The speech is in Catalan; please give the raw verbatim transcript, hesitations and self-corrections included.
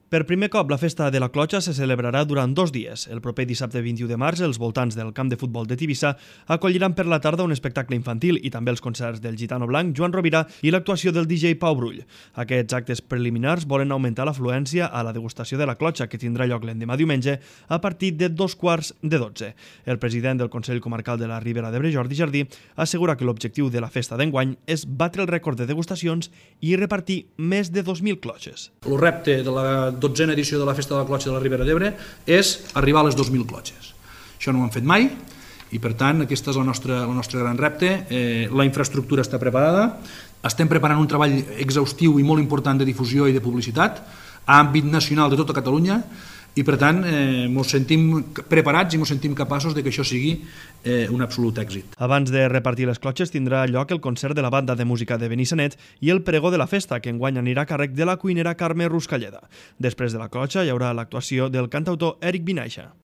Per primer cop, la festa de la clotxa se celebrarà durant dos dies. El proper dissabte vint-i-u de març, els voltants del camp de futbol de Tivissa acolliran per la tarda un espectacle infantil i també els concerts del Gitano Blanc, Joan Rovira i l'actuació del D J Pau Brull. Aquests actes preliminars volen augmentar l'afluència a la degustació de la clotxa, que tindrà lloc l'endemà diumenge a partir de dos quarts de dotze. El president del Consell Comarcal de la Ribera d'Ebre, Jordi Jardí, assegura que l'objectiu de la festa d'enguany és batre el rècord de degustacions i repartir més de dos mil clotxes. El repte de la dotzena edició de la Festa de la Clotxa de la Ribera d'Ebre és arribar a les dos mil clotxes. Això no ho hem fet mai i, per tant, aquest és el nostre, el nostre gran repte. Eh, la infraestructura està preparada, estem preparant un treball exhaustiu i molt important de difusió i de publicitat a àmbit nacional de tota Catalunya i, per tant, eh, ens sentim preparats i ens sentim capaços de que això sigui eh, un absolut èxit. Abans de repartir les clotxes tindrà lloc el concert de la banda de música de Benissanet i el pregó de la festa, que enguany anirà a càrrec de la cuinera Carme Ruscalleda. Després de la clotxa hi haurà l'actuació del cantautor Eric Vinaixa.